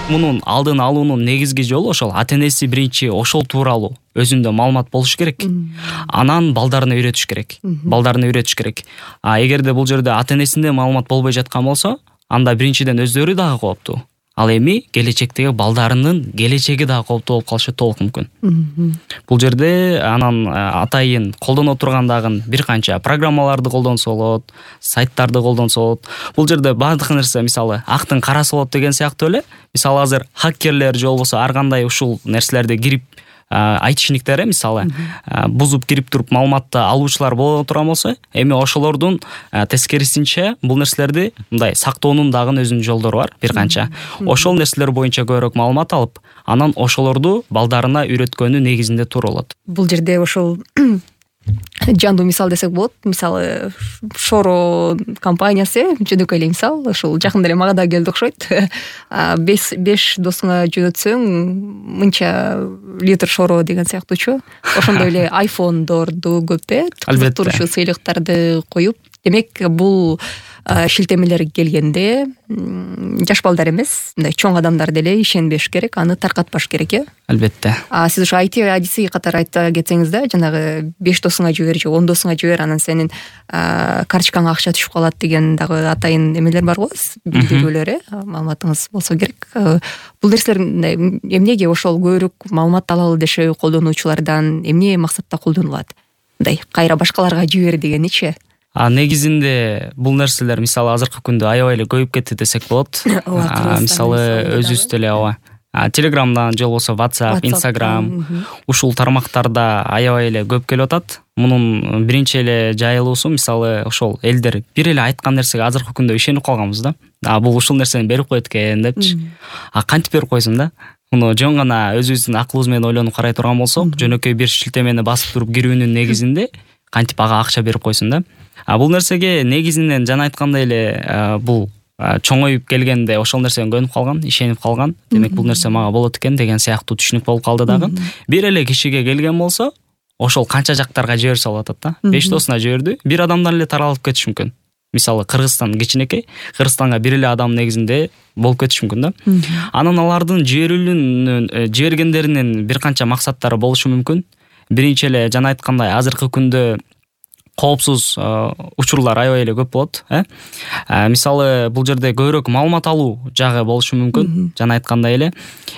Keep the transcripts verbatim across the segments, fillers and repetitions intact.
Мунун алдын алуунун негизги жолу ошол ата энеси биринчи ошол тууралуу өзүндө маалымат болуш керек. Анан балдарына үйрөтүш керек. Балдарына үйрөтүш керек. А эгерде бул жерде ата энесинде маалымат болбой жаткан болсо, анда биринчиден өздөрү дагы кооптуу. Ал эми келечектеги балдарынын келечеги дагы кооптуу болуп калышы толук мүмкүн. Бул жерде анан атайын колдоно турган дагы бир канча программаларды колдонсо болот, сайттарды колдонсо болот. Бул жерде баардык нерсе мисалы актын карасы болот деген сыяктуу эле. Мисалы азыр хакерлер же болбосо ар кандай ушул нерселерди кирип айтышниктер мисалы бузуп кирип туруп маалыматты алуучулар боло турган болсо, эми ошолордун тескерисинче бул нерселерди мындай сактоонун дагы өзүнүн жолдору бар бир канча. Ошол нерселер боюнча көбүрөөк маалымат алып, анан ошолорду балдарына үйрөткөнү негизинде туура болот. Бул жерде ошол жандуу мисал десек болот. Мисалы Шоро компаниясы жөнөкөй эле мисал, ошол жакында эле мага да келди окшойт. беш досуңа жөнөтсөң мынча литр Шоро деген сыяктуучу. Ошондой эле айфондорду көп э кызыктыруучу сыйлыктарды коюп, демек бул шилтемелер келгенде жаш балдар эмес, мындай чоң адамдар деле ишенбеш керек, аны таркатпаш керек э. Албетте. А сиз ошо айти адиси катары айта кетсеңиз да, жанагы беш досуңа жибер же он досуңа жибер, анан сенин карточкаңа акча түшүп калат деген дагы атайын эмелер бар го, билдирүүлөр э, маалыматыңыз болсо керек. Бул нерселер эмнеге ошол көбүрөөк маалымат алалы дешеби колдонуучулардан эмне максатта колдонулат? Мындай кайра башкаларга жибер дегеничи? А негизинде бул нерселер мисалы азыркы күндө аябай эле көбүп кетти десек болот. Мисалы өзүбүз деле ооба Телеграмдан же болбосо WhatsApp, Instagram ушул тармактарда аябай эле көп келип атат. Мунун биринчи эле жайылуусу мисалы ошол элдер бир эле айткан нерсеге азыркы күндө ишенип калганбыз да. А бул ушул нерсени берип коет экен депчи. А кантип берип койсун да? Муну жөн гана өзүбүздүн акылыбыз менен ойлонуп карай турган болсок, жөнөкөй бир шилтемени басып туруп кирүүнүн негизинде кантип ага акча берип койсун да. А бул нерсеге негизинен жана айткандай эле бул чоңоюп келгенде ошол нерсеге көнүп калган, ишенип калган. Демек бул нерсе мага болот экен деген сыяктуу түшүнүк болуп калды дагы. Бир эле кишиге келген болсо, ошол канча жактарга жиберсе болот атат да. беш досуна жиберди, бир адамдан эле таралып кетиш мүмкүн. Мисалы Кыргызстан кичинекей, Кыргызстанга бир эле адам негизинде болуп кетиш мүмкүн да. Анан алардын жиберүүнүн жибергендеринин бир канча максаттары болушу мүмкүн. Биринчи эле жана айткандай азыркы күндө коопсуз учурлар аябай эле көп болот, э? Мисалы бул жерде көбүрөөк маалымат алуу жагы болушу мүмкүн. Жана айткандай эле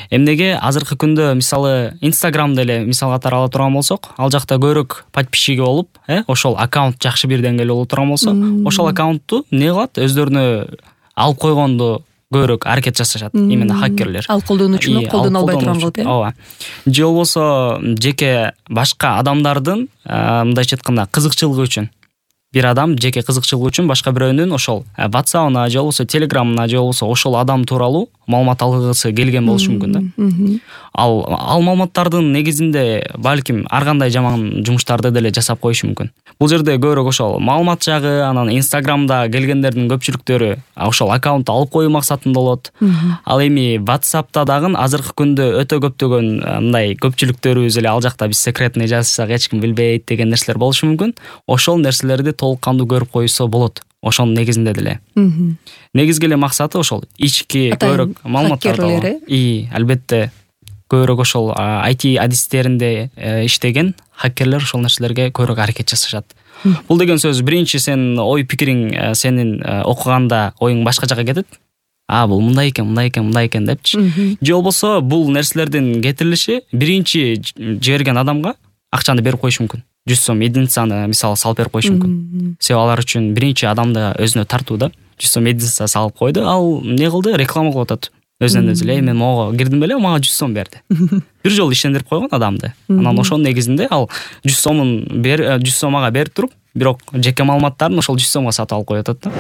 эмнеге азыркы күндө мисалы Instagramда эле мисал катары ала турган болсок, ал жакта көбүрөөк подписчиги болуп, э, ошол аккаунт жакшы бир деңгээлде боло турган болсо, ошол аккаунтту эмне кылат? Өздөрүнө алып койгонду көбүрөөк аракет жасашат, именно хакерлер. Ал колдонуучуну колдоно албай турган кылып, э? Ооба. Же болбосо жеке башка адамдардын мындайча айтканда кызыкчылыгы үчүн бир адам жеке кызыкчылыгы үчүн башка бирөөнүн ошол WhatsApp-ына же болбосо Telegram-ына же болбосо ошол адам тууралуу маалымат алгысы келген болушу мүмкүн да. Ал ал маалыматтардын негизинде балким ар кандай жаман жумуштарды деле жасап коюшу мүмкүн. Бул жерде көбүрөөк ошол маалымат жагы, анан Instagramда келгендердин көпчүлүктөрү ошол аккаунтту алып коюу максатында болот. Ал эми WhatsAppта дагы азыркы күндө өтө көптөгөн мындай көпчүлүктөрүбүз эле ал жакта биз секретный жазсак эч ким билбейт деген нерселер болушу мүмкүн. Ошол нерселерди толук кандуу көрүп коюусо болот. Ошонун негизинде деле. Негизги эле максаты ошол ички көбүрөөк маалыматтарды. И, албетте көбүрөөк ошол ай ти адистеринде иштеген хакерлер ошол нерселерге көбүрөөк аракет жасашат. Бул деген сөз биринчи сен ой пикириң сенин окуганда оюң башка жака кетет. А бул мындай экен, мындай экен, мындай экен депчи. Же болбосо бул нерселердин кетирилиши биринчи жиберген адамга акчаны берип коюшу мүмкүн. жүз сом единицаны мисалы салып берип коюшу мүмкүн. Себеби алар үчүн биринчи адамды өзүнө тартуу да. жүз сом единица салып койду, ал эмне кылды? Реклама кылып атат. Өзүнөн өзү эле мен мого кирдим беле, мага жүз сом берди. Бир жолу ишендирип койгон адамды. Анан ошонун негизинде ал жүз сомун бер жүз сом ага берип туруп, бирок жеке маалыматтарын ошол жүз сомго сатып алып коюп атат да.